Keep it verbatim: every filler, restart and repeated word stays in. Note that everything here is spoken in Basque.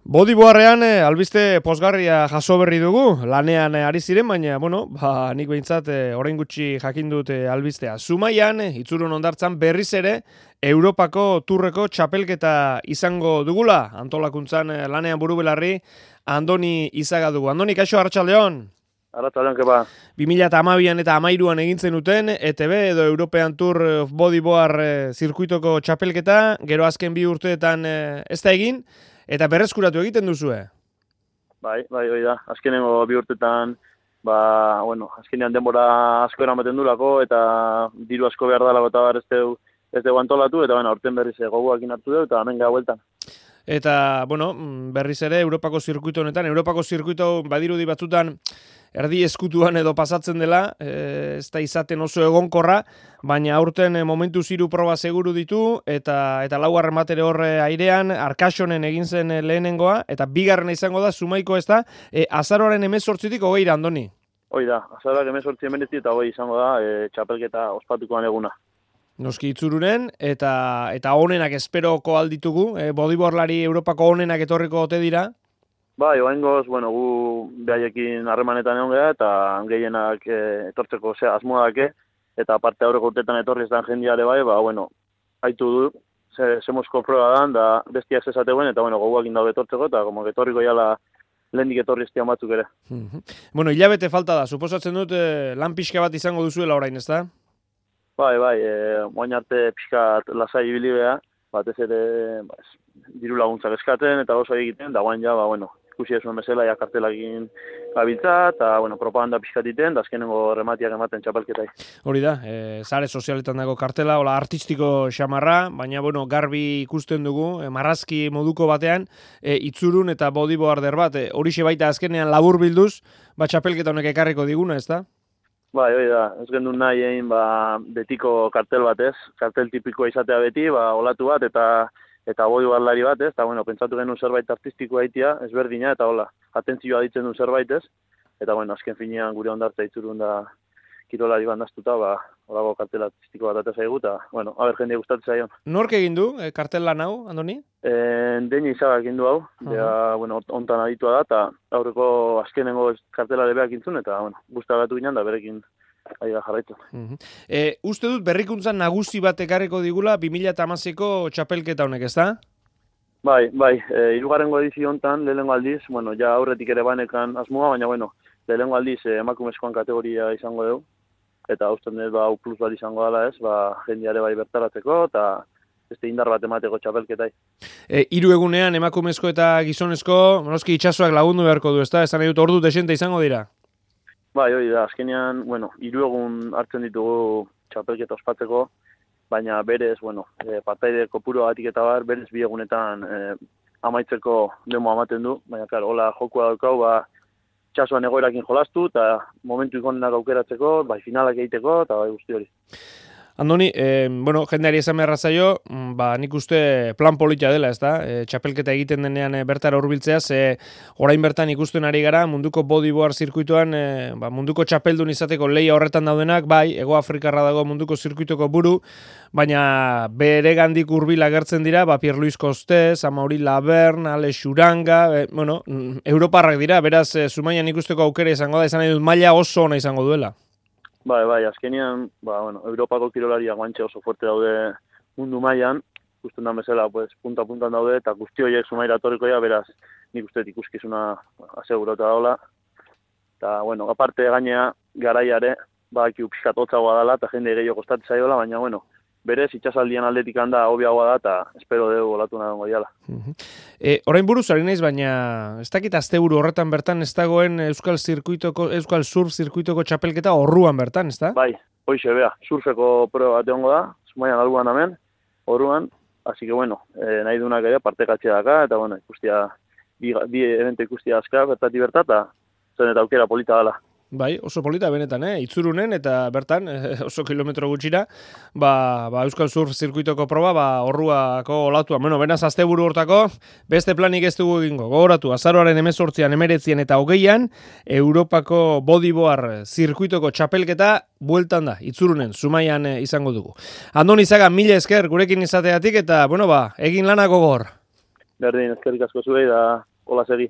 Bodyboarrean eh, albiste pozgarria jaso berri dugu, lanean eh, ari ziren, baina, bueno, ba, nik behintzat eh, orain gutxi jakin dut eh, albistea. Zumaian, eh, Itzurun hondartzan berriz ere, Europako turreko txapelketa izango dugula, antolakuntzan eh, lanean buru belarri, Andoni Izaga dugu. Andoni, kaixo, arratsaldeon. Arratsaldeon, kepa. bi mila hamabian eta hamairuan egintzen duten E T B edo European Tour of Bodyboard eh, zirkuitoko txapelketa, gero azken bi urteetan eh, ez da egin, eta berreskuratu egiten duzue? Bai, bai, bai da. Azkenengo bi urtetan, ba, bueno, azkenean denbora asko eramaten durako, eta diru asko behar dalako eta bar ez dugu ez dugu antolatu, eta bueno, aurten berriz gogoakin hartu dugu, eta hemen gara bueltan. Eta, bueno, berriz ere, Europako zirkuito honetan, Europako zirkuito badirudi batzutan erdi eskutuan edo pasatzen dela, e, ez da izaten oso egonkorra, baina aurten momentu ziru proba seguru ditu, eta eta laugarren batere horre airean, Arkasonen egin zen lehenengoa, eta bigarrena izango da, Zumaiko ez da, e, azaroaren hemezortzitik hogeira, Andoni. Hoi da, azaroak hemezortzi hemeretzi eta hogei izango da, e, txapelketa ospatukoan eguna. Noski Itzurunen, eta eta onenak esperoko alditugu, e, bodyboardlari Europako onenak etorriko ote dira? Bai, oaingoz, bueno, gu behaiekin harremanetan egon gara, eta gehienak e, etortzeko ze asmoa dake, eta aparte aurreko urtetan etorri ez dan jendeare bai, ba, bueno, haitu du, ze, zemozko proba dan, da bestiak zezateuen, eta bueno, goguakin daude etortzeko, eta como etorriko jala lehendik etorri estian batzuk ere. Bueno, hilabete falta da, suposatzen dut eh, lan pixka bat izango duzuela orain, ez da? Bai, bai, e, moain arte pixkat lasai ibili beha, batez ere ba, diru laguntzak eskatzen eta oso egiten, da guain ja, ba, bueno, ikusi esuen bezala, ja kartelakin gabiltza, eta, bueno, propaganda pixkat iten, da azkenengo rematiak ematen txapelketai. Hori da, e, sare sozialetan dago kartela, hola artistiko xamarra, baina, bueno, garbi ikusten dugu, e, marrazki moduko batean, e, Itzurun eta bodyboarder bat, e, horixe baita azkenean labur bilduz, ba txapelketa honek ekarriko diguna, ez da? Bai, hori da, ez gendun nahi egin ba, betiko kartel bat ez, kartel tipikoa izatea beti, ba, olatu bat eta eta bodyboardlari bat ez, eta bueno, pentsatu genuen zerbait artistikoa egitea, ezberdina, eta hola, atentzioa ditzen duen zerbait ez, eta bueno, azken finean gure hondartza Itzurun da kirolari bandaztuta, ba, holago kartel artistiko bat atezaigu, eta bueno, haber jendea gustatzen zaion. Nork egin du e, kartel lan hau, Andoni? E, Deni Izaga egin du hau, uh -huh. Dea, bueno, ontan aditua da, eta aurreko azkenengo kartelare beak intzun, eta bueno, gustagatu ginen da berekin ari da jarraitu. Uh -huh. e, uste dut berrikuntzan nagusi bat ekarriko digula bi mila hamaseiko txapelketa honek, ez da? Bai, bai, e, hirugarrengo edizio hontan, lehenengo aldiz, bueno, ja aurretik ere banekan asmoa, baina bueno, lehenengo aldiz e, emakumezkoan kategoria izango dugu, eta usten dut, ba, U plus bat izango dela ez, ba, jendeare bai bertaratzeko, eta beste indar bat emateko txapelketai. E, hiru egunean emakumezko eta gizonezko, noski itsasoak lagundu beharko du, ez da? Esan nahi dut ordu desente izango dira? Bai, hori da, azkenean, bueno, hiru egun hartzen ditugu txapelketa ospatzeko, baina berez, bueno, e, partaide kopuru batik eta bar, berez bi egunetan e, amaitzeko demo amaten du, baina, klar, hola jokua daukau, ba, txasuan egoerakin jolastu, eta momentu ikonenak aukeratzeko, bai, finalak egiteko, eta bai guzti hori. Andoni, eh, bueno, jendeari esan beharra zaio, ba, nik uste plan polita dela, ez da? E, txapelketa egiten denean e, bertara hurbiltzea, ze orain bertan ikusten ari gara, munduko bodyboard zirkuitoan, e, ba, munduko txapeldun izateko leia horretan daudenak, bai, Hego Afrikarra dago munduko zirkuitoko buru, baina bere gandik hurbil agertzen dira, ba, Pierre-Louis Costes, Amaury Laverne, Ale Xuranga, e, bueno, Europarrak dira, beraz, e, Zumaian ikusteko aukera izango da, izan nahi dut maila oso ona izango duela. Bai, bai, azkenean, ba, bueno, Europako kirolariak guantxe oso fuerte daude mundu mailan, ikusten da bezala, pues, punta-puntan daude, eta guzti horiek Zumaira etorrikoia, beraz, nik uste ikuskizuna asegurota daula. Eta, bueno, aparte gainea, garaiare, badakiu pixkat hotzagoa dela, eta jende gehiago kostatzen zaiola, baina, bueno, berez, itxasaldian aldetik handa hobiagoa da, eta espero dugu olatu nahi dongo diala. E, orain buruz, ari naiz, baina ez dakit asteburu horretan bertan ez dagoen Euskal Zirkuitoko, Euskal Surf Zirkuitoko txapelketa orruan bertan, ez da? Bai, hoixe, bea, surfeko proba bat egongo da, Zumaian albuan hemen, orruan, hasi que bueno, e, nahi dunak ere partekatzea daka, eta bueno, ikustia, bi, bi evento ikustia azka, bertati bertata, zen eta aukera polita dela. Bai, oso polita benetan, eh? Itzurunen eta bertan, eh, oso kilometro gutxira, ba, ba Euskal Surf zirkuitoko proba, ba, orruako olatua. Bueno, benaz asteburu hortako, beste planik ez dugu egingo. Gogoratu, azaroaren hemezortzian, hemeretzian eta hogeian, Europako bodyboard zirkuitoko txapelketa bueltan da, Itzurunen, Zumaian eh, izango dugu. Andoni Izaga, mila esker, gurekin izateatik, eta, bueno, ba, egin lanako gor. Berdin, eskerrik asko zuei da hola segi.